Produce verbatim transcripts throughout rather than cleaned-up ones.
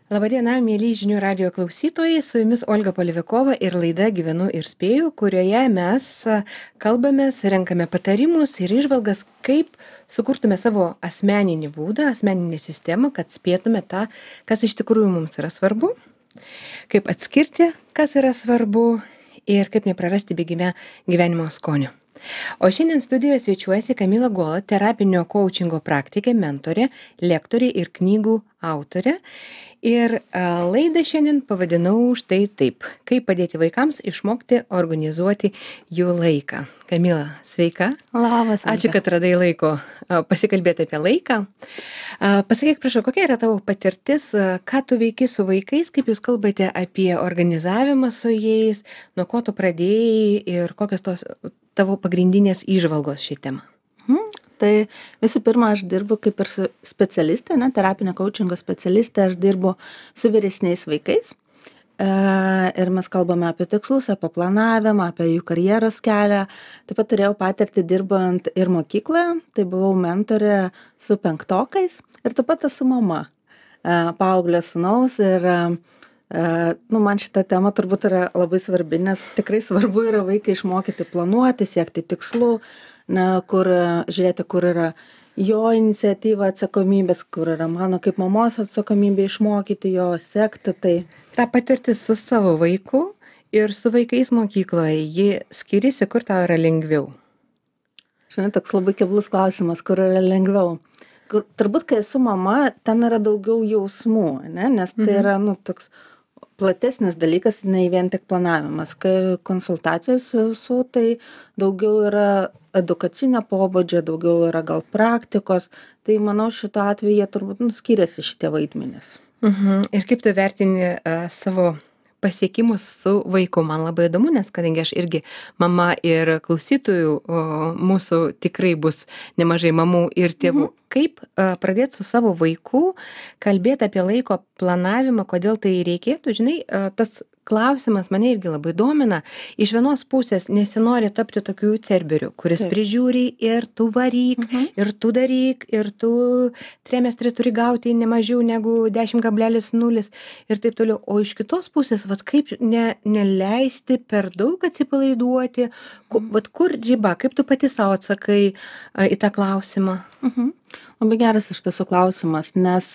Labadiena, mėly žinių radio klausytojai, su jumis Olga Polivikova ir laida Gyvenu ir spėju, kurioje mes a, kalbamės, renkame patarimus ir išvalgas, kaip sukurtume savo asmeninį būdą, asmeninę sistemą, kad spėtume tą, kas iš tikrųjų mums yra svarbu, kaip atskirti, kas yra svarbu ir kaip neprarasti bėgime gyvenimo skonio. O šiandien studijoje svečiuojasi Kamila Gola, terapinio koučingo praktikė, mentorė, lektorė ir knygų autorė. Ir a, laidą šiandien pavadinau štai taip: kaip padėti vaikams išmokti organizuoti jų laiką. Kamila, sveika. Labas. Ačiū, kad radai laiko a, pasikalbėti apie laiką. A, pasakyk, prašau, kokia yra tavo patirtis, a, ką tu veiki su vaikais, kaip jūs kalbate apie organizavimą su jais, nuo ko tu pradėjai ir kokios tos tavo pagrindinės įžvalgos šį temą? Mhm. Tai visų pirma, aš dirbu kaip ir su specialistė, ne, terapinio koučingo specialistė, aš dirbu su vyresniais vaikais. E, ir mes kalbame apie tikslus, apie planavimą, apie jų karjeros kelią. Taip pat turėjau patirtį dirbant ir mokykloje, tai buvau mentorė su penktokais ir taip pat esu mama e, paauglio sūnaus ir e, nu, man šita tema turbūt yra labai svarbi, nes tikrai svarbu yra vaiką išmokyti planuoti, siekti tikslų, na, kur, žiūrėti, kur yra jo iniciatyva, atsakomybės, kur yra mano kaip mamos atsakomybė išmokyti jo, sekti tai. Ta patirtis su savo vaiku ir su vaikais mokykloje, ji skiriasi, kur tau yra lengviau? Žinai, toks labai keblus klausimas, kur yra lengviau. Kur, turbūt, kai esu mama, ten yra daugiau jausmų, ne? Nes tai yra, nu, toks platesnis dalykas, nei vien tik planavimas. Kai konsultacijos su, su tai daugiau yra edukacinio pobūdžio, daugiau yra gal praktikos, tai manau šito atveju jie turbūt nu, skiriasi šitie vaidmenys. Mhm. Ir kaip tu vertini uh, savo pasiekimus su vaiku? Man labai įdomu, nes kadangi aš irgi mama ir klausytojų o, mūsų tikrai bus nemažai mamų ir tėvų. Mhm. Kaip uh, pradėti su savo vaiku kalbėti apie laiko planavimą, kodėl tai reikėtų? Žinai, uh, tas klausimas mane irgi labai domina. Iš vienos pusės nesinori tapti tokiu cerberiu, kuris Taip. Prižiūri ir tu varyk, mhm. ir tu daryk, ir tu trimestrį turi gauti ne mažiau negu dešimt kablelis nulis ir taip toliau. O iš kitos pusės, vat kaip ne, neleisti per daug atsipalaiduoti, ku, vat kur riba, kaip tu pati savo atsakai a, į tą klausimą? Mhm. Labai geras iš tiesų klausimas, nes,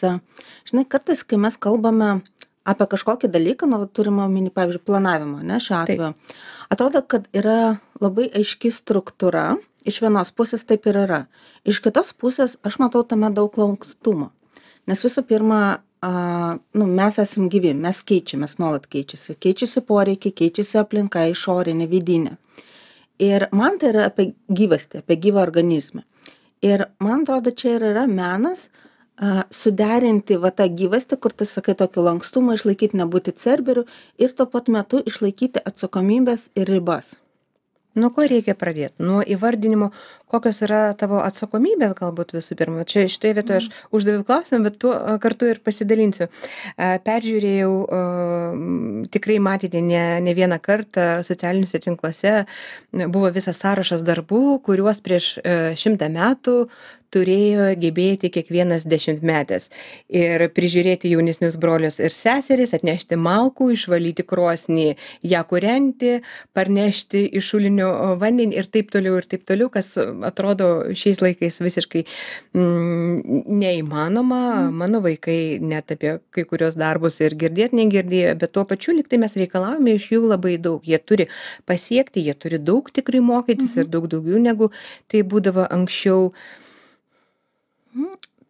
žinai, kartais, kai mes kalbame apie kažkokį dalyką, nu, turime omeny, pavyzdžiui, planavimą, ne, šiuo atveju. Taip. Atrodo, kad yra labai aiški struktūra, iš vienos pusės taip ir yra. Iš kitos pusės aš matau tame daug lankstumo. Nes visų pirma, a, nu, mes esam gyvi, mes keičiamės, nuolat keičiasi. Keičiasi poreikiai, keičiasi aplinka, išorinė, vidinė. Ir man tai yra apie gyvastį, apie gyvą organizmą. Ir man atrodo, čia ir yra menas, a, suderinti va tą gyvastį, kur tu sakai tokį lankstumą, išlaikyti, nebūti cerberiu ir tuo pat metu išlaikyti atsakomybės ir ribas. Nuo ko reikia pradėti? Nuo įvardinimo, kokios yra tavo atsakomybės galbūt visų pirma. Čia šitoje vietoje aš uždaviau klausimą, bet tuo kartu ir pasidalinsiu. Peržiūrėjau, tikrai matėte ne, ne vieną kartą socialiniuose tinkluose, buvo visas sąrašas darbų, kuriuos prieš šimtą metų turėjo gebėti kiekvienas dešimtmetis. Ir prižiūrėti jaunesnius brolius ir seseris, atnešti malkų, išvalyti krosnį, ją kūrenti, parnešti iš šulinio vandenį ir taip toliau ir taip toliau, kas atrodo šiais laikais visiškai mm, neįmanoma. Mm. Mano vaikai net apie kai kurios darbus ir girdėt negirdėjo, bet tuo pačiu liktai mes reikalavome iš jų labai daug. Jie turi pasiekti, jie turi daug tikrai mokytis mm-hmm. ir daug daugiau negu tai būdavo anksčiau.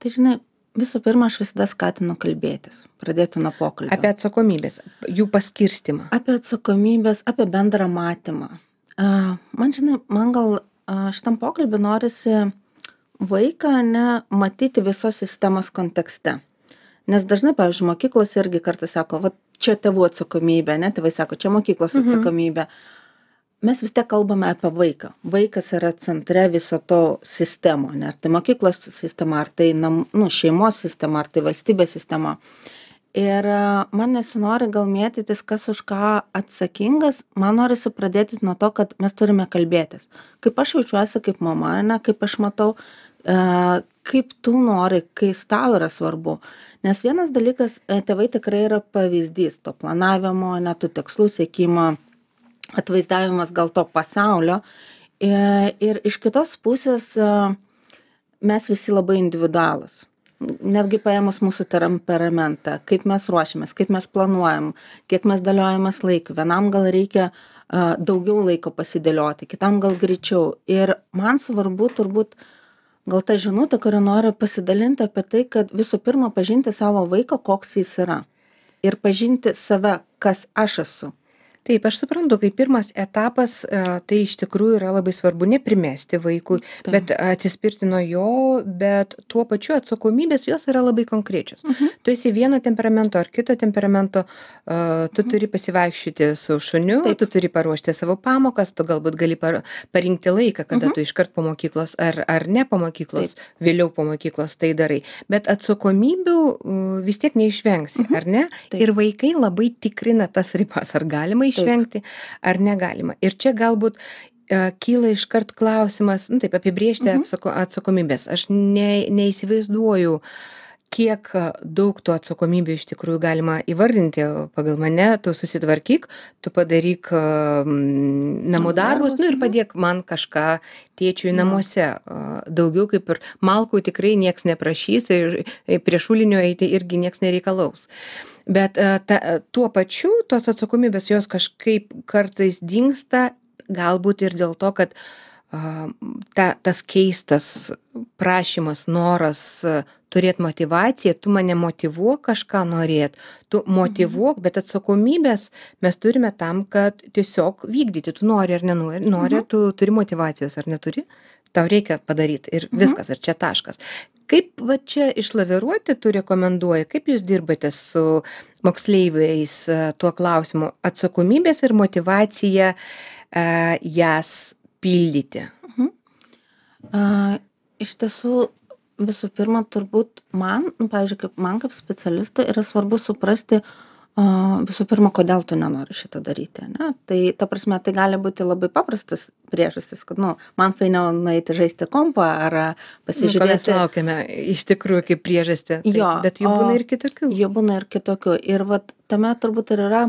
Tai žinai, visų pirma, aš visada skatinu kalbėtis, pradėti nuo pokalbio. Apie atsakomybės, jų paskirstimą. Apie atsakomybės, apie bendrą matymą. Uh, man, žinai, man gal uh, šitam pokalbį norisi vaiką ne matyti visos sistemos kontekste. Nes dažnai, pavyzdžiui, mokyklos irgi kartais sako, va čia tėvų atsakomybė, ne, tėvai sako, čia mokyklos atsakomybė. Mhm. Mes vis tiek kalbame apie vaiką. Vaikas yra centre viso to sistemo, ne? Ar tai mokyklos sistema, ar tai nam, nu, šeimos sistema, ar tai valstybės sistema. Ir man nesinori gal mėtytis, kas už ką atsakingas, man norisi pradėti nuo to, kad mes turime kalbėtis. Kaip aš jaučiuosi kaip mama, ne? Kaip aš matau, e, kaip tu nori, kas tau yra svarbu. Nes vienas dalykas, e, tėvai tikrai yra pavyzdys to planavimo, net tų tikslų siekimo, atvaizdavimas gal to pasaulio. E, Ir iš kitos pusės e, mes visi labai individualūs. Netgi paėmus mūsų temperamentą, kaip mes ruošiamės, kaip mes planuojam, kiek mes dėliojamės laiką. Vienam gal reikia a, daugiau laiko pasidėlioti, kitam gal greičiau. Ir man svarbu turbūt gal ta žinutė, kurią noriu pasidalinti apie tai, kad visų pirma pažinti savo vaiką, koks jis yra. Ir pažinti save, kas aš esu. Taip, aš suprantu, kai pirmas etapas, e, tai iš tikrųjų yra labai svarbu neprimesti vaikui, Taip. bet atsispirti nuo jo, bet tuo pačiu atsakomybės jos yra labai konkrečios. Mhm. Tu esi vieno temperamento ar kito temperamento, e, tu Mhm. turi pasivaikščioti su šuniu, Taip. tu turi paruošti savo pamokas, tu galbūt gali par, parinkti laiką, kada Mhm. tu iškart po mokyklos ar, ar ne po mokyklos, vėliau po mokyklos tai darai. Bet atsakomybių uh, vis tiek neišvengsi, Mhm. ar ne? Taip. Ir vaikai labai tikrina tas ribas, ar galima išvengti, ar negalima. Ir čia galbūt e, kyla iškart klausimas, nu taip, apibriežti Mhm. apsako, atsakomybės. Aš ne, neįsivaizduoju, kiek e, daug tų atsakomybių iš tikrųjų galima įvardinti pagal mane. Tu susitvarkyk, tu padaryk e, mm, namų Namų darbus, darbus, nu ir mhm. padėk man kažką tėčiui Jo. namuose. E, Daugiau kaip ir malkų tikrai nieks neprašys ir e, prie šulinio eiti irgi nieks nereikalaus. Bet e, ta, e, tuo pačiu tos atsakomybės jos kažkaip kartais dingsta, galbūt ir dėl to, kad a, ta, tas keistas prašymas, noras a, turėt motyvaciją, tu mane motyvuok kažką norėt, tu motyvuok, bet atsakomybės mes turime tam, kad tiesiog vykdyti. Tu nori ar nenori, nori, Mhm. tu turi motyvacijos ar neturi, tau reikia padaryti ir Mhm. viskas, ir čia taškas. Kaip va čia išlaviruoti tu rekomenduoji, kaip jūs dirbate su moksleiviais e, tuo klausimu atsakomybės ir motyvacija e, jas pildyti? Mhm. A, iš tiesų, visų pirma, turbūt man, nu, pavyzdžiui, kaip man kaip specialistui yra svarbu suprasti, a, visų pirma, kodėl tu nenori šito daryti. Ne? Tai, ta prasme, tai gali būti labai paprastas priežastis, kad, nu, man fainiau nueiti žaisti kompą ar a, Nu, ko mes pasižiūrėti. laukiame iš tikrųjų kaip priežastį. Taip, Jo, bet jų o- būna ir kitokių. Jų būna ir kitokių. Ir vat tame turbūt ir yra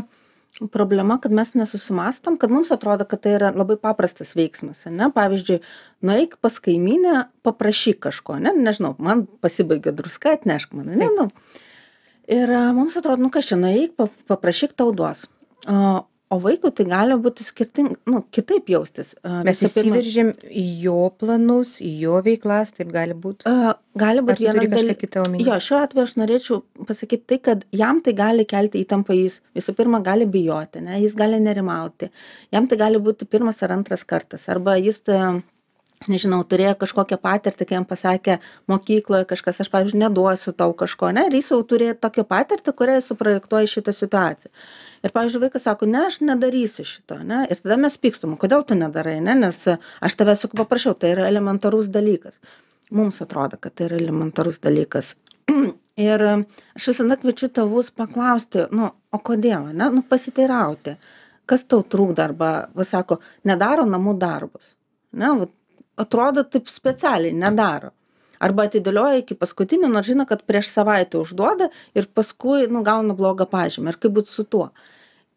problema, kad mes nesusimastom, kad mums atrodo, kad tai yra labai paprastas veiksmas. Ne? Pavyzdžiui, nueik pas kaimynę, paprašyk kažko. Ne? Nežinau, man pasibaigė druska, atnešk man. Ne? Nu. Ir a, mums atrodo, nu kas čia, nueik, pa- paprašyk tau duos. O, o vaikui tai gali būti skirting, nu, kitaip jaustis. A, Mes visų pirma- įsiveržėm į jo planus, į jo veiklas, taip gali būti. A, gali Ar būti tu turi vienas kažką dalykas. kitą omeny? Jo, šiuo atveju aš norėčiau pasakyti tai, kad jam tai gali kelti įtampą, jis visų pirma gali bijoti, ne, jis gali nerimauti. Jam tai gali būti pirmas ar antras kartas. Arba jis, tai, nežinau, turėjo kažkokią patirtį, kai jam pasakė mokykloje kažkas, aš, pavyzdžiui, neduosiu tau kažko, ne, ir jis jau turėjo tokią patirtį, kurią jis suprojektuoja į šitą situaciją. Ir, pavyzdžiui, vaikas sako, ne, aš nedarysiu šito, ne, ir tada mes pykstam, kodėl tu nedarai, ne, nes aš tavęs juk paprašiau, tai yra elementarus dalykas. Mums atrodo, kad tai yra elementarus dalykas. Ir aš visada kviečiu tėvus paklausti, nu, o kodėl, ne, nu, pasiteirauti, kas tau trūkda, arba, va, sako, nedaro namų darbus, ne, va, atrodo taip specialiai, nedaro. Arba atidėlioja iki paskutinio, nors žino, kad prieš savaitę užduoda ir paskui, nu, gauna blogą pažymį. Ir kaip būti su tuo?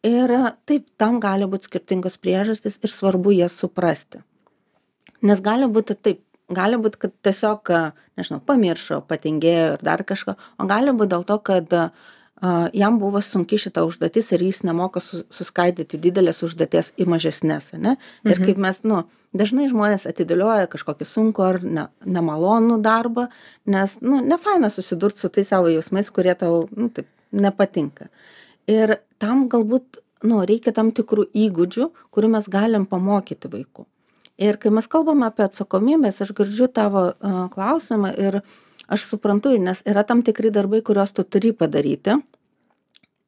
Ir taip, tam gali būti skirtingos priežastys ir svarbu jas suprasti. Nes gali būti taip, gali būti, kad tiesiog, nežinau, pamiršo, patingėjo ir dar kažko, o gali būti dėl to, kad a, jam buvo sunki šita užduotis ir jis nemoka su, suskaidyti didelės užduoties į mažesnės, ne? Ir Mhm. kaip mes, nu, dažnai žmonės atidėlioja kažkokį sunkų ar ne, nemalonų darbą, nes, nu, nefaina susidurti su tais savo jausmais, kurie tau, nu, taip, nepatinka. Ir tam galbūt, nu, reikia tam tikrų įgūdžių, kurių mes galim pamokyti vaikų. Ir kai mes kalbame apie atsakomybės, aš girdžiu tavo uh, klausimą ir aš suprantu, nes yra tam tikri darbai, kuriuos tu turi padaryti.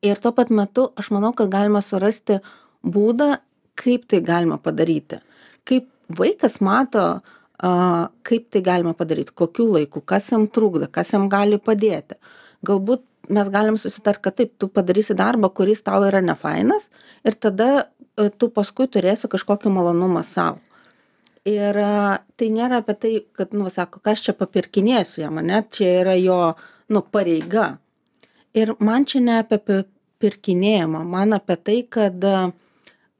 Ir tuo pat metu aš manau, kad galima surasti būdą, kaip tai galima padaryti. Kaip vaikas mato, uh, kaip tai galima padaryti, kokiu laiku, kas jam trukdo, kas jam gali padėti. Galbūt mes galim susitarti, kad taip, tu padarysi darbą, kuris tau yra nefainas ir tada uh, tu paskui turėsi kažkokį malonumą savo. Ir a, tai nėra apie tai, kad, nu, sako, kas čia papirkinėsiu jam, ne, čia yra jo, nu, pareiga. Ir man čia ne apie pi- pirkinėjimą, man apie tai, kad, a,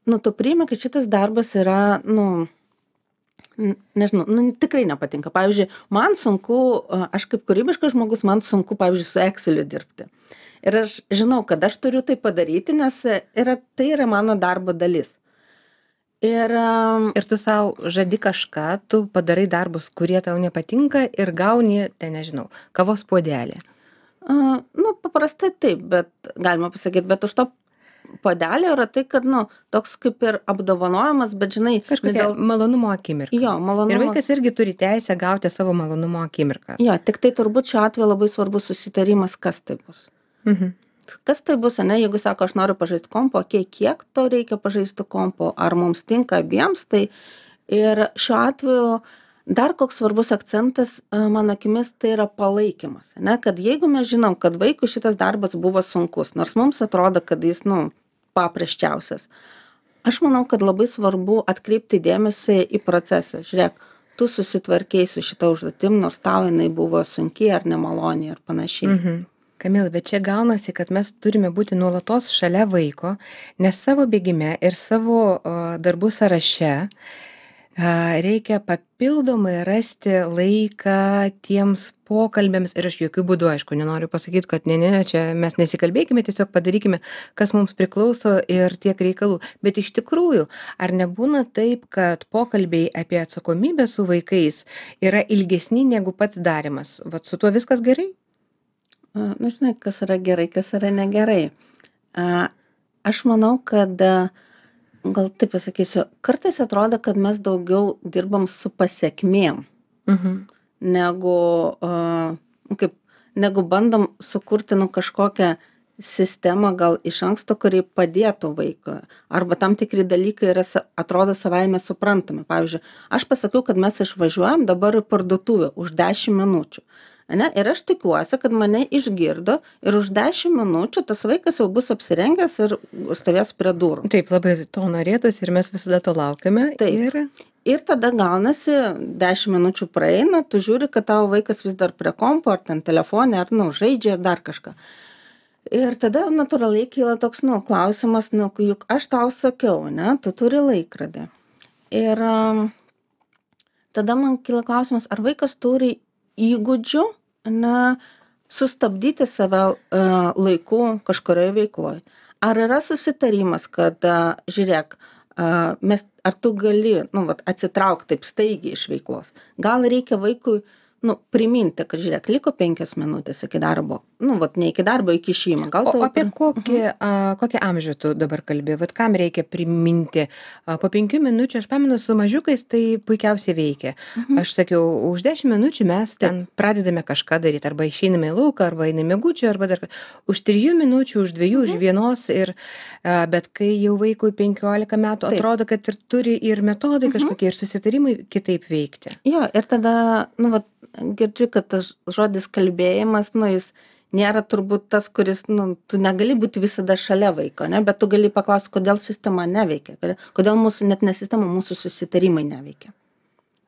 nu, tu priimi, kad šitas darbas yra, nu, n- nežinau, nu, tikrai nepatinka. Pavyzdžiui, man sunku, a, aš kaip kūrybiškas žmogus, man sunku, pavyzdžiui, su Exceliu dirbti. Ir aš žinau, kad aš turiu tai padaryti, nes yra, tai yra mano darbo dalis. Ir am, Ir tu sau žadi kažką, tu padarai darbus, kurie tau nepatinka ir gauni, ten nežinau, kavos puodelį. a, nu, paprastai taip, bet galima pasakyti, bet už to puodelio yra tai, kad, nu, toks kaip ir apdovanojimas, bet žinai, ne Kažkokia dėl, malonumo akimirka. jo, Ir malonumo. vaikas irgi turi teisę gauti savo malonumo akimirką. Jo, tik tai turbūt šiuo atveju labai svarbus susitarimas, kas tai bus. Mhm. Kas tai bus, ane, jeigu sako, aš noriu pažaisti kompo, okei, kiek tau reikia pažaisti kompo, ar mums tinka abiems, tai ir šiuo atveju dar koks svarbus akcentas, a, mano akimis, tai yra palaikymas, ane, kad jeigu mes žinom, kad vaikui šitas darbas buvo sunkus, nors mums atrodo, kad jis, nu, paprasčiausias. Aš manau, kad labai svarbu atkreipti dėmesį į procesą. Žiūrėk, tu susitvarkei su šita užduotim, nors tau jinai buvo sunkiai ar nemaloniai ar panašiai. Mhm. Kamila, bet čia gaunasi, kad mes turime būti nuolatos šalia vaiko, nes savo bėgime ir savo o, darbų sąraše a, reikia papildomai rasti laiką tiems pokalbėms ir aš jokių būdų, aišku, nenoriu pasakyti, kad ne, ne, čia mes nesikalbėkime, tiesiog padarykime, kas mums priklauso ir tiek reikalų. Bet iš tikrųjų, ar nebūna taip, kad pokalbiai apie atsakomybę su vaikais yra ilgesni negu pats darimas? Vat su tuo viskas gerai? A, nu, žinai, kas yra gerai, kas yra negerai. A, aš manau, kad, a, gal taip pasakysiu, kartais atrodo, kad mes daugiau dirbam su pasiekmėm, Mhm. negu, a, nu, kaip, negu bandom sukurti, nu, kažkokią sistemą gal iš anksto, kuri padėtų vaikui. Arba tam tikri dalykai yra, sa- atrodo savaime suprantami. Pavyzdžiui, aš pasakiau, kad mes išvažiuojam dabar į parduotuvę už dešimt minučių. Ane? Ir aš tikiuosi, kad mane išgirdo ir už dešimt minučių tas vaikas jau bus apsirengęs ir stovės prie durų. Taip, labai to norėtųsi ir mes visada to laukiame. Taip. Ir Ir tada gaunasi, dešimt minučių praeina, tu žiūri, kad tavo vaikas vis dar prie kompo, ar ten telefonė, ar, nu, žaidžia, ar dar kažką. Ir tada natūraliai kyla toks, nu, klausimas, nu, juk aš tau sakiau, ne, tu turi laikrodį. Ir am, tada man kyla klausimas, ar vaikas turi įgūdžių, na, sustabdyti save a, laiku kažkurioje veikloje. Ar yra susitarimas, kad, a, žiūrėk, a, mes, ar tu gali, nu, vat, atsitraukti taip staigiai iš veiklos. Gal reikia vaikui, nu, priminti, kad, žiūrėk, liko penkios minutės iki darbo. Nu, vat, ne iki darbo, iki išėjimo. Gal o tau apie pri- kokį, a, kokį amžių tu dabar kalbi? Vat kam reikia priminti? A, po penkių minučių, aš pamenu, su mažiukais tai puikiausiai veikia. Mhm. Aš sakiau, už dešimt minučių mes ten pradedame kažką daryti, arba išeiname į lauką, arba einame mėgučių, arba dar ką. Už trijų minučių, už dviejų, už vienos. Ir, a, bet kai jau vaikui penkiolika metų, Taip. atrodo, kad ir turi ir metodai Mhm. kažkokie, ir susitarimai kitaip veikti. Jo, ir tada, nu, vat, girdžiu, kad tas žodis kalbėjimas, nu, jis nėra turbūt tas, kuris, nu, tu negali būti visada šalia vaiko, ne, bet tu gali paklausti, kodėl sistema neveikia, kodėl- kodėl mūsų, net ne sistema, mūsų susitarimai neveikia.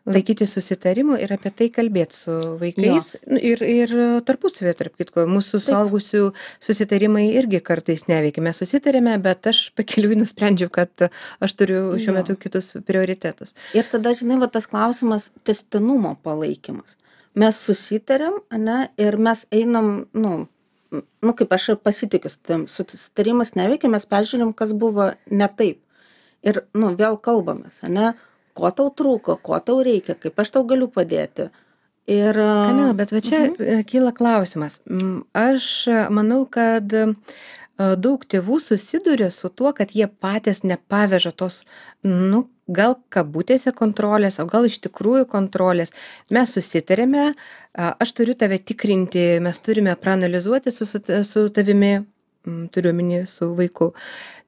Laikyti susitarimų ir apie tai kalbėti su vaikais. Nu, Ir, ir tarpusavėje, tarp kitko, mūsų suaugusių susitarimai irgi kartais neveikia. Mes susitarėme, bet aš pakeliui nusprendžiau, kad aš turiu šiuo Jo. metu kitus prioritetus. Ir tada, žinai, va tas klausimas tęstinumo palaikymas. Mes susitarėm, ane, ir mes einam, nu, m, nu kaip aš ir pasitikiu, su tavim, susitarimas neveikia, mes peržiūrim, kas buvo ne taip. Ir, nu, vėl kalbamės, ane, ko tau trūko, ko tau reikia, kaip aš tau galiu padėti. Ir... Kamila, bet va čia Mhm. e, kyla klausimas. Mm, Aš e, manau, kad e, daug tėvų susiduria su tuo, kad jie patys nepaveža tos, nu, gal kabutėse kontrolės, o gal iš tikrųjų kontrolės. Mes susitarėme, a, aš turiu tave tikrinti, mes turime praanalizuoti su, su su tavimi, mm, turiu omeny su vaiku.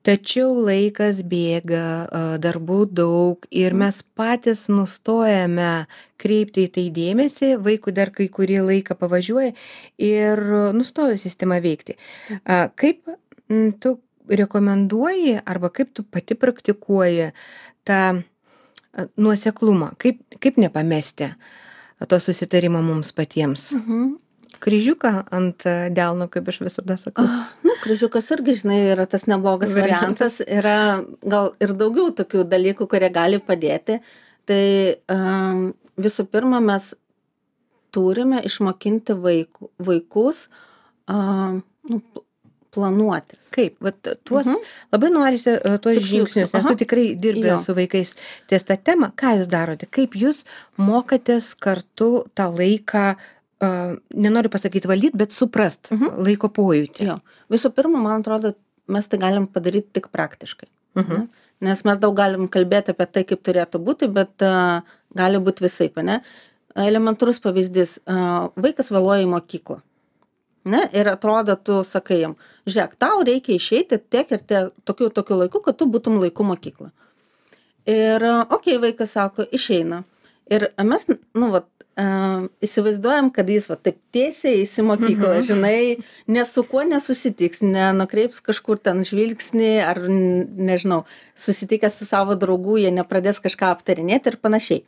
Tačiau laikas bėga, a, darbų daug ir mes patys nustojame kreipti į tai dėmesį, vaikui dar kai kurį laiką pavažiuoja ir nustojo sistema veikti. A, Kaip mm, tu rekomenduoji arba kaip tu pati praktikuoji tą nuoseklumą, kaip, kaip nepamesti to susitarimo mums patiems. Mhm. Kryžiuką ant delno, kaip aš visada sakau. Ah, nu, kryžiukas irgi, žinai, yra tas neblogas variantas. Yra gal ir daugiau tokių dalykų, kurie gali padėti. Tai um, visų pirma, mes turime išmokinti vaikų, vaikus um, nu, planuotis. Kaip? Vat tuos, Mhm. labai norisi uh, tuos Tikslius, žingsnius, nes aha. tu tikrai dirbi Jo. su vaikais ties tą temą. Ką jūs darote? Kaip jūs mokatės kartu tą laiką, uh, nenoriu pasakyti valdyti, bet suprast Mhm. laiko pojūtį? Jo. Visų pirma, man atrodo, mes tai galim padaryti tik praktiškai. Mhm. Ne? Nes mes daug galim kalbėti apie tai, kaip turėtų būti, bet uh, gali būti visaip, ne? Elementarus pavyzdys, uh, vaikas vėluoja į mokyklą. Ne? Ir atrodo, tu sakai jam, žiūrėk, tau reikia išeiti tiek ir tiek, tokiu, tokiu laiku, kad tu būtum laiku mokyklą. Ir, uh, okei, okay, vaikas sako, išeina. Ir mes, nu, vat, uh, įsivaizduojam, kad jis, va, taip tiesiai eis į mokyklą, Mhm. žinai, ne su kuo nesusitiks, nenukreips kažkur ten žvilgsnį, ar, n- nežinau, susitikęs su savo draugu, jie nepradės kažką aptarinėti ir panašiai.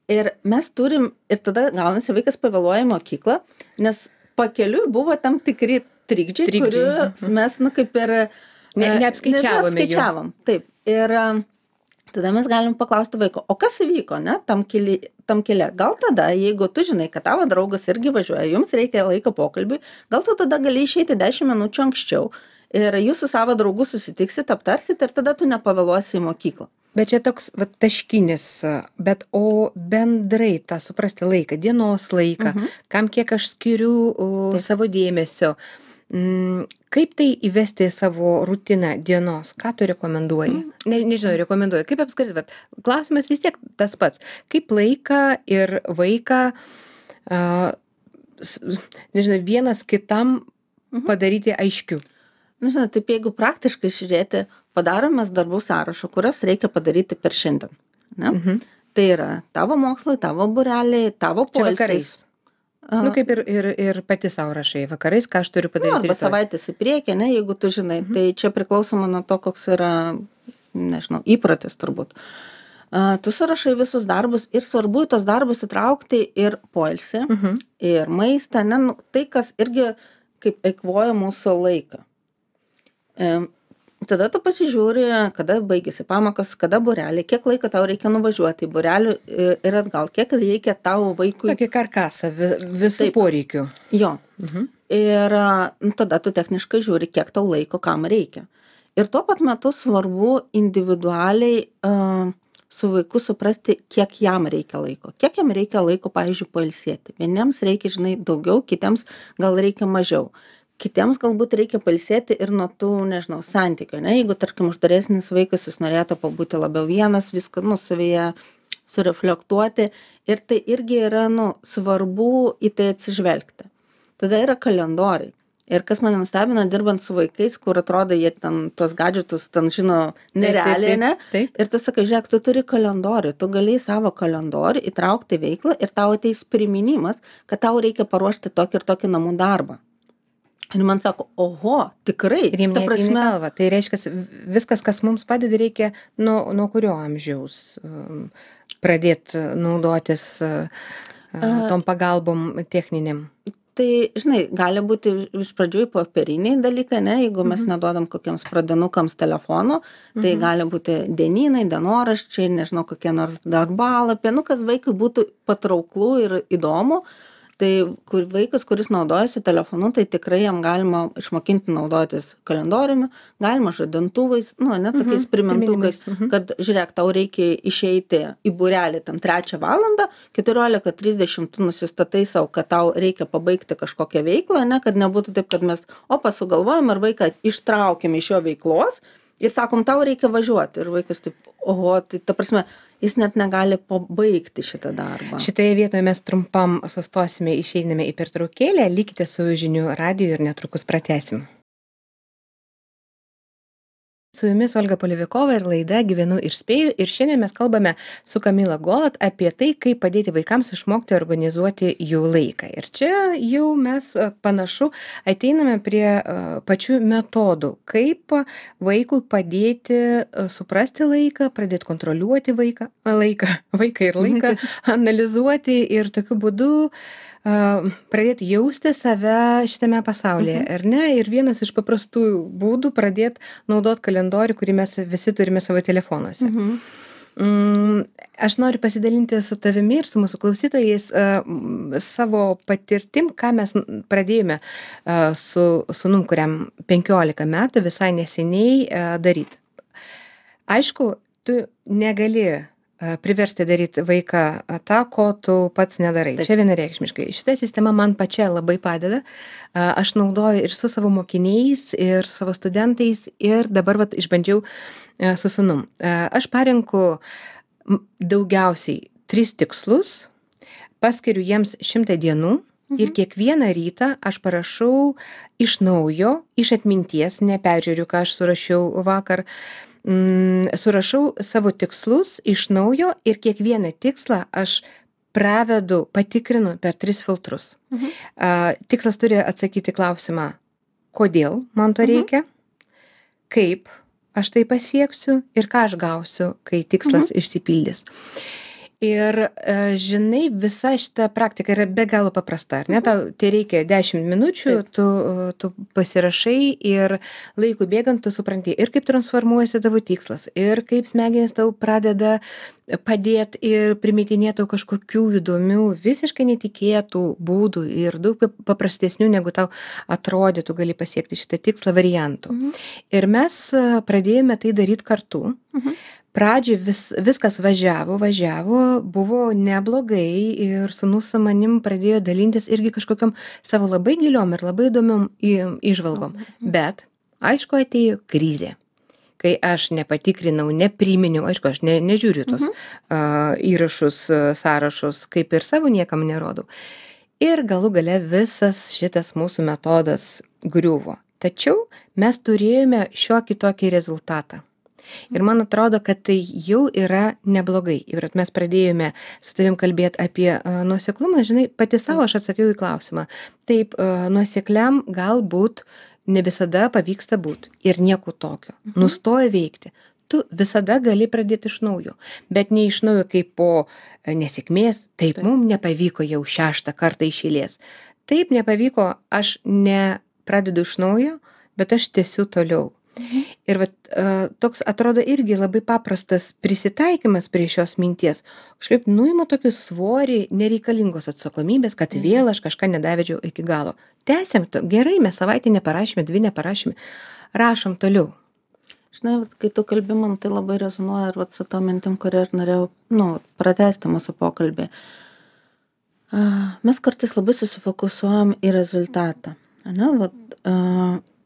Ir mes turim, ir tada gaunasi vaikas pavėluoja į mokyklą, nes pakeliui buvo tam tikri trikdžiai, Trikdžiai, kuriuos mhm. mes, nu, kaip ir... Ne- e, neapskaičiavome jų. neapskaičiavom, taip. Ir e, tada mes galim paklausti vaiko, o kas įvyko, ne, tam, keli, tam kelią. Gal tada, jeigu tu žinai, kad tavo draugas irgi važiuoja, jums reikia laiko pokalbiui, gal tu tada gali išeiti dešimt minučių anksčiau ir jūs su savo draugu susitiksit, aptarsit ir tada tu nepavėluosi į mokyklą. Bet čia toks vat, taškinis, bet o bendrai tą suprasti laiką, dienos laiką, Mhm. kam kiek aš skiriu o, Taip. savo dėmesio, mm, kaip tai įvesti į savo rutiną dienos, ką tu rekomenduoji? Mhm. Ne, nežinau, rekomenduoju, kaip apskritai, bet klausimas vis tiek tas pats, kaip laiką ir vaiką, a, s, nežinau, vienas kitam Mhm. padaryti aiškiu. Nu, žinai, taip jeigu praktiškai žiūrėti, padaromės darbų sąrašą, kurios reikia padaryti per šiandien. Ne? Mhm. Tai yra tavo mokslai, tavo būreliai, tavo Čia poilsis. vakarais. A, Nu, kaip ir, ir, ir pati savo rašai, vakarais, ką aš turiu nu, padaryti. arba rytoj. savaitės į priekį, ne, jeigu tu žinai. Tai čia priklausoma nuo to, koks yra, nežinau, įprotis turbūt. A, tu surašai visus darbus ir svarbu į tos darbus įtraukti ir poilsį, Mhm. ir maistą, ne, nu, tai, kas irgi kaip eikvoja mūsų laiką. E, tada tu pasižiūri, kada baigėsi pamokos, kada būreliai, kiek laiko tau reikia nuvažiuoti į būrelį e, ir atgal, kiek reikia tavo vaikui. Tokį karkasą vi, visų Taip. poreikių. Jo. Mhm. Ir a, nu, tada tu techniškai žiūri, kiek tau laiko, kam reikia. Ir tuo pat metu svarbu individualiai a, su vaiku suprasti, kiek jam reikia laiko. Kiek jam reikia laiko, pavyzdžiui, pailsėti. Vieniems reikia, žinai, daugiau, kitiems gal reikia mažiau. Kitiems galbūt reikia pailsėti ir nuo tų, nežinau, santykių, ne? Jeigu, tarkim, uždaresnis vaikas, jis norėtų pabūti labiau vienas, viską, nu, savyje sureflektuoti. Ir tai irgi yra, nu, svarbu į tai atsižvelgti. Tada yra kalendoriai. Ir kas mane nustebino, dirbant su vaikais, kur atrodo, jie ten tos gadžetus, ten žino, nerealiai, ne? Taip. Ir tu sakai, žiūrėk, tu turi kalendorių, tu gali į savo kalendorių įtraukti veiklą ir tau ateis priminimas, kad tau reikia paruošti tokį ir tokį namų darbą. Ir man sako, oho, tikrai, Ir jiems ta prasme, prasme, galva. Tai reiškia, viskas, kas mums padeda, reikia nuo, nuo kurio amžiaus um, pradėti naudotis uh, uh, tom pagalbom techniniam. tai, žinai, gali būti iš pradžių popieriniai dalykai, ne, jeigu mes Mhm. neduodam kokiems pradinukams telefonų, tai Mhm. gali būti dienynai, dienoraščiai, nežinau, kokie nors darbalapiai, nu, kas vaikui būtų patrauklų ir įdomu. Tai kur vaikas, kuris naudojasi telefonu, tai tikrai jam galima išmokinti naudotis kalendoriumi, galima žadintuvais, nu, ne tokiais Mhm, primintukais, priminimais, mhm. kad žiūrėk, tau reikia išeiti į būrelį tam trečią valandą, keturiolika trisdešimt tu nusistatai savo, kad tau reikia pabaigti kažkokią veiklą, ne, kad nebūtų taip, kad mes, o pasugalvojam ir vaiką ištraukiam iš jo veiklos ir sakom, tau reikia važiuoti. Ir vaikas taip, oho, tai ta prasme, jis net negali pabaigti šitą darbą. Šitoje vietoje mes trumpam sustosime, išeiname į pertraukėlę, likite su žinių radiju ir netrukus pratęsim. su jumis Olga Polevikova ir laida Gyvenu ir spėju. Ir šiandien mes kalbame su Kamila Golat apie tai, kaip padėti vaikams išmokti organizuoti jų laiką. Ir čia jau mes a, panašu ateiname prie a, pačių metodų, kaip vaikui padėti a, suprasti laiką, pradėti kontroliuoti vaiką, a, laiką, vaiką ir laiką, analizuoti ir tokiu būdu a, pradėti jausti save šitame pasaulyje, Mhm. ar ne? Ir vienas iš paprastų būdų pradėti naudoti kalendorių, kurį mes visi turime savo telefonuose. Mhm. Mm, aš noriu pasidalinti su tavimi ir su mūsų klausytojais a, m, savo patirtim, ką mes n- pradėjome a, su sūnum, kuriam penkiolika metų visai neseniai a, daryti. Aišku, tu negali a, priversti daryti vaiką a, tą, ko tu pats nedarai. Taip. Čia vienareikšmiškai. Šita sistema man pačia labai padeda. A, Aš naudoju ir su savo mokiniais, ir su savo studentais, ir dabar vat, išbandžiau a, su sūnum. A, Aš parenku m, daugiausiai tris tikslus, paskiriu jiems šimtą dienų. Ir Mhm. kiekvieną rytą aš parašau iš naujo, iš atminties, neperžiūriu, ką aš surašiau vakar, mm, surašau savo tikslus iš naujo ir kiekvieną tikslą aš pravedu, patikrinu per tris filtrus. Mhm. A, Tikslas turi atsakyti klausimą, kodėl man to Mhm. reikia, kaip aš tai pasieksiu ir ką aš gausiu, kai tikslas išsipildys. Ir e, žinai, visa šita praktika yra be galo paprasta, ar ne? Tau tai reikia dešimt minučių, Taip. tu, e, tu pasirašai ir laikui bėgant tu supranti ir kaip transformuojasi tavo tikslas, ir kaip smegenys tau pradeda padėti ir primetinėti tau kažkokių įdomių, visiškai netikėtų būdų ir daug pap- paprastesnių, negu tau atrodytų, gali pasiekti šitą tikslą variantų. Mhm. Ir mes e, pradėjome tai daryti kartu. Mhm. Pradžioj vis, viskas važiavo, važiavo, buvo neblogai ir sūnus su manim pradėjo dalintis irgi kažkokiam savo labai giliom ir labai įdomiom į- įžvalgom. Mhm. Bet, aišku, atėjo krizė, kai aš nepatikrinau, nepriminiau, aišku, aš ne, nežiūriu tos Mhm. uh, įrašus, uh, sąrašus, kaip ir savo niekam nerodau. Ir galų gale visas šitas mūsų metodas griuvo. Tačiau mes turėjome šiokį tokį rezultatą. Ir man atrodo, kad tai jau yra neblogai. Ir vat mes pradėjome su tavim kalbėti apie uh, nuoseklumą, žinai, pati savo aš atsakiau į klausimą. Taip, uh, nuosekliam galbūt ne visada pavyksta būti ir nieko tokio. Mhm. Nustoja veikti. Tu visada gali pradėti iš naujo, bet ne iš naujo kaip po e, nesėkmės. Taip, Taip. mums nepavyko jau šeštą kartą iš eilės. Taip, nepavyko, aš nepradedu iš naujo, bet aš tęsiu toliau. Mhm. Ir vat, e, toks atrodo irgi labai paprastas prisitaikymas prie šios minties. Kažkaip nuima tokį svorį nereikalingos atsakomybės, kad Mhm. vėl aš kažką nedavedžiau iki galo. Tęsiam, to, gerai, mes savaitę neparašėme, dvi neparašėme, rašom toliau. Žinai, vat kai tu kalbi, man tai labai rezonuoja ir vat su to mintim, kurią ir norėjau, nu, pratęsti mūsų pokalbį. A, Mes kartais labai susifokusuojam į rezultatą. Ane? Vat, a,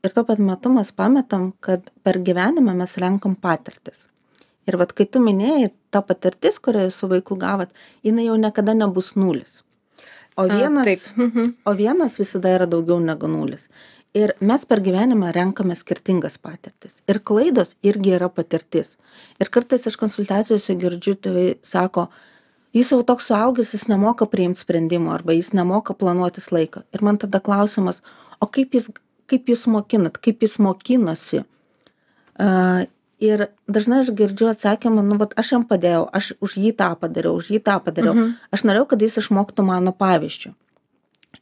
ir tuo pat metu mes pametam, kad per gyvenimą mes renkam patirtis. Ir vat kai tu minėjai, ta patirtis, kurią su vaiku gavot, jinai jau niekada nebus nulis. O A, vienas, taip. Mhm. o vienas visada yra daugiau negu nulis. Ir mes per gyvenimą renkame skirtingas patirtis. Ir klaidos irgi yra patirtis. Ir kartais aš konsultacijose girdžiu, tai sako, jis jau toks suaugęs, jis nemoka priimti sprendimų arba jis nemoka planuotis laiką. Ir man tada klausimas, o kaip jis, kaip jūs mokinat, kaip jis mokinosi? Uh, ir dažnai aš girdžiu atsakymą, nu, vat aš jam padėjau, aš už jį tą padariau, už jį tą padariau. Mhm. Aš norėjau, kad jis išmoktų mano pavyzdžių.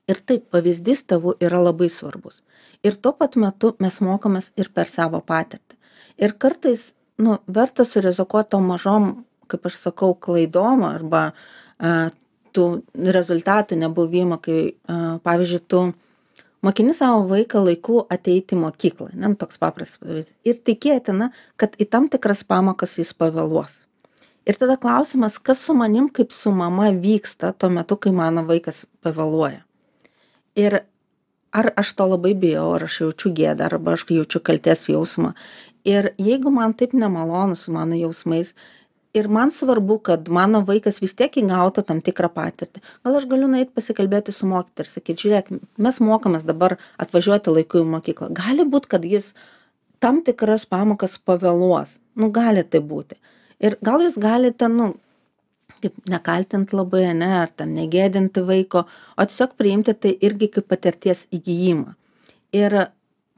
Ir taip, pavyzdys tėvų yra labai svarbus. Ir tuo pat metu mes mokomės ir per savo patirtį. Ir kartais, nu, verta surizikuoti tom mažom, kaip aš sakau, klaidom arba a, tų rezultatų nebuvimo, kai, a, pavyzdžiui, tu mokini savo vaiką laiku ateiti į mokyklą, ne, toks paprastas pavyzdys. Ir tikėtina, kad į tam tikras pamokas jis pavėluos. Ir tada klausimas, kas su manim kaip su mama vyksta tuo metu, kai mano vaikas pavėluoja. Ir ar aš to labai bijau, ar aš jaučiu gėdą, arba aš jaučiu kaltės jausmą. Ir jeigu man taip nemalonu su mano jausmais, ir man svarbu, kad mano vaikas vis tiek įgautų tam tikrą patirtį, gal aš galiu nueiti pasikalbėti su mokytoju ir sakyti, žiūrėk, mes mokomės dabar atvažiuoti laiku į mokyklą. Gali būt, kad jis tam tikras pamokas pavėluos. Nu, gali tai būti. Ir gal jūs galite, nu, kaip nekaltint labai, ne, ar ten negėdinti vaiko, o tiesiog priimti tai irgi kaip patirties įgijimą. Ir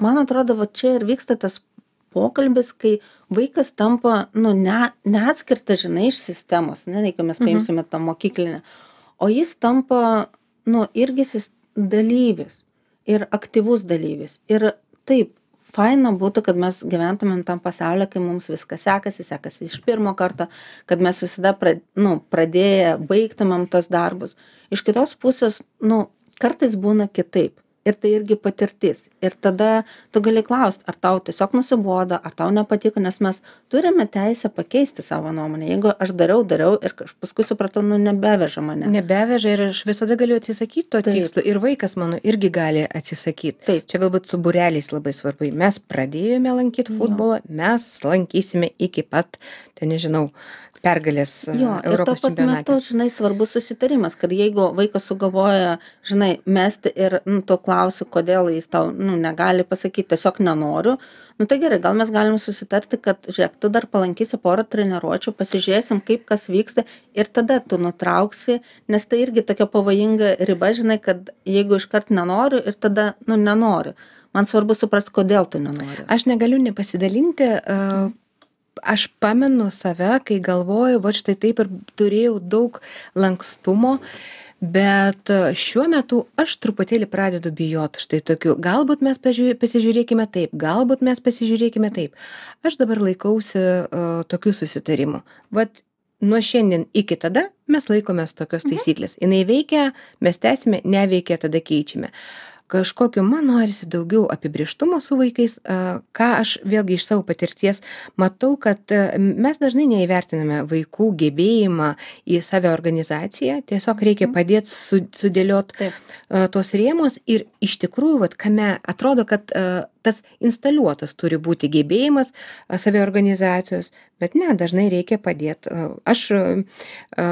man atrodo, va čia ir vyksta tas pokalbis, kai vaikas tampa, nu, ne, neatskirtas, žinai, iš sistemos, ne, jeigu mes paimsime tą mokyklinę, o jis tampa, nu, irgi sis- dalyvis ir aktyvus dalyvis. Ir taip, faina būtų, kad mes gyventumėm tam pasaulyje, kai mums viskas sekasi, sekasi iš pirmo karto, kad mes visada pra, nu, pradėję baigtumėm tos darbus. Iš kitos pusės, nu, kartais būna kitaip. Ir tai irgi patirtis. Ir tada tu gali klausti, ar tau tiesiog nusibodo, ar tau nepatiko, nes mes turime teisę pakeisti savo nuomonę. Jeigu aš dariau, dariau ir aš paskui supratau, nu, nebeveža mane. Nebeveža ir aš visada galiu atsisakyti to Taip. tikslo. Ir vaikas mano irgi gali atsisakyti. Taip. Čia galbūt su būreliais labai svarbu. Mes pradėjome lankyti futbolą, mes lankysime iki pat, ten nežinau, pergalės e, Jo, ir tuo Europos pat čempionate. metu, žinai, svarbus susitarimas, kad jeigu vaikas sugalvoja, žinai, mesti ir, nu, tu klausi, kodėl jis tau, nu, negali pasakyti, tiesiog nenoriu, nu, tai gerai, gal mes galim susitarti, kad, žiūrėk, tu dar palankysi porą treniruočių, pasižiūrėsim, kaip kas vyksta ir tada tu nutrauksi, nes tai irgi tokia pavojinga riba, žinai, kad jeigu iškart nenoriu ir tada, nu, nenoriu. Man svarbu suprasti, kodėl tu nenori. Aš negaliu nepasidalinti. Uh, aš pamenu save, kai galvoju, va štai taip ir turėjau daug lankstumo, bet e, šiuo metu aš truputėlį pradedu bijoti štai tokių. Galbūt mes pažiūrė, pasižiūrėkime taip, galbūt mes pasižiūrėkime taip. Aš dabar laikausi uh, tokių susitarimų. Vat nuo šiandien iki tada mes laikomės tokios taisyklės. Jinai veikia, mes tęsime, neveikia, tada keičiame. Kažkokiu man norisi daugiau apibrėžtumo su vaikais, a, ką aš vėlgi iš savo patirties matau, kad a, mes dažnai neįvertiname vaikų gebėjimą į saviorganizaciją, tiesiog reikia padėti su, sudėliot Taip. a, tuos rėmus ir iš tikrųjų, vat, kame atrodo, kad a, tas instaliuotas turi būti gebėjimas a, saviorganizacijos, bet ne, dažnai reikia padėti. Aš a, a,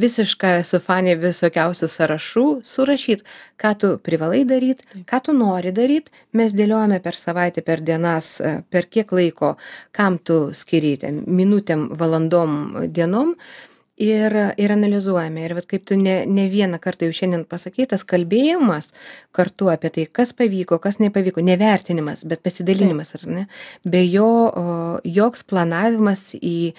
visiškai esu fanė visokiausių sąrašų surašyti, ką tu privalai daryti, ką tu nori daryti. Mes dėliojame per savaitę, per dienas, a, per kiek laiko, kam tu skiri, ten, minutėm, valandom, dienom. Ir, ir analizuojame. Ir vat, kaip tu ne, ne vieną kartą jau šiandien pasakei, tas kalbėjimas kartu apie tai, kas pavyko, kas nepavyko, nevertinimas, bet pasidalinimas, ar ne? Be jo o, joks planavimas į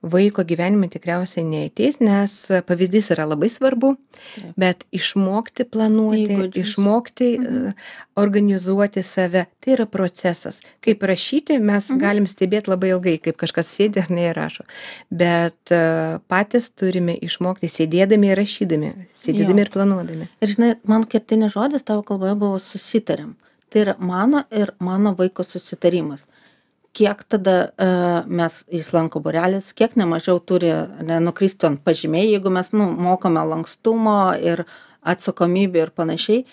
vaiko gyvenimą tikriausiai neateis, nes pavyzdys yra labai svarbu, Taip. bet išmokti planuoti, Įgūdžius. išmokti Mhm. uh, organizuoti save, tai yra procesas. Kaip rašyti, mes Mhm. galim stebėti labai ilgai, kaip kažkas sėdi ar neįrašo. Bet uh, patys turime išmokti sėdėdami ir rašydami, sėdėdami Jo. ir planuodami. Ir žinai, man kertinis žodis tavo kalboje buvo susitariam. Tai yra mano ir mano vaiko susitarimas. Kiek tada uh, mes, jis lanko būrelis, kiek nemažiau turi ne, nukristi ant pažymiai, jeigu mes nu, mokome lankstumo ir atsakomybę ir panašiai,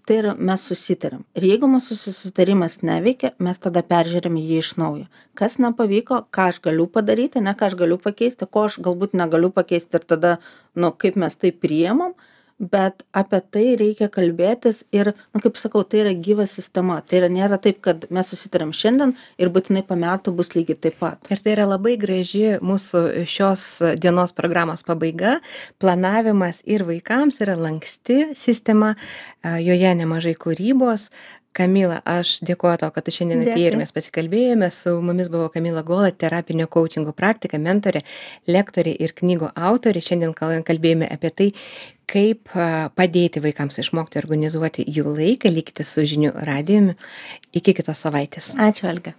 tai yra mes susitariam. Ir jeigu mūsų susitarimas neveikia, mes tada peržiūrime jį iš naujo. Kas nepavyko, ką aš galiu padaryti, ne ką aš galiu pakeisti, ko aš galbūt negaliu pakeisti ir tada, nu, kaip mes tai priemam, bet apie tai reikia kalbėtis ir, nu, kaip sakau, tai yra gyva sistema. Tai yra nėra taip, kad mes susitariam šiandien ir būtinai po metų bus lygiai taip pat. Ir tai yra labai graži mūsų šios dienos programos pabaiga. Planavimas ir vaikams yra lanksti sistema, a, joje nemažai kūrybos. Kamila, aš dėkuoju tau, kad tu šiandien atėjai ir Dėkui. mes pasikalbėjome. Su mumis buvo Kamila Gola, terapinio coachingo praktika, mentorė, lektorė ir knygų autorė. Šiandien kal- kalbėjome apie tai, kaip a, padėti vaikams išmokti organizuoti jų laiką. Likite su žinių radijumi. Iki kitos savaitės. Ačiū, Alga.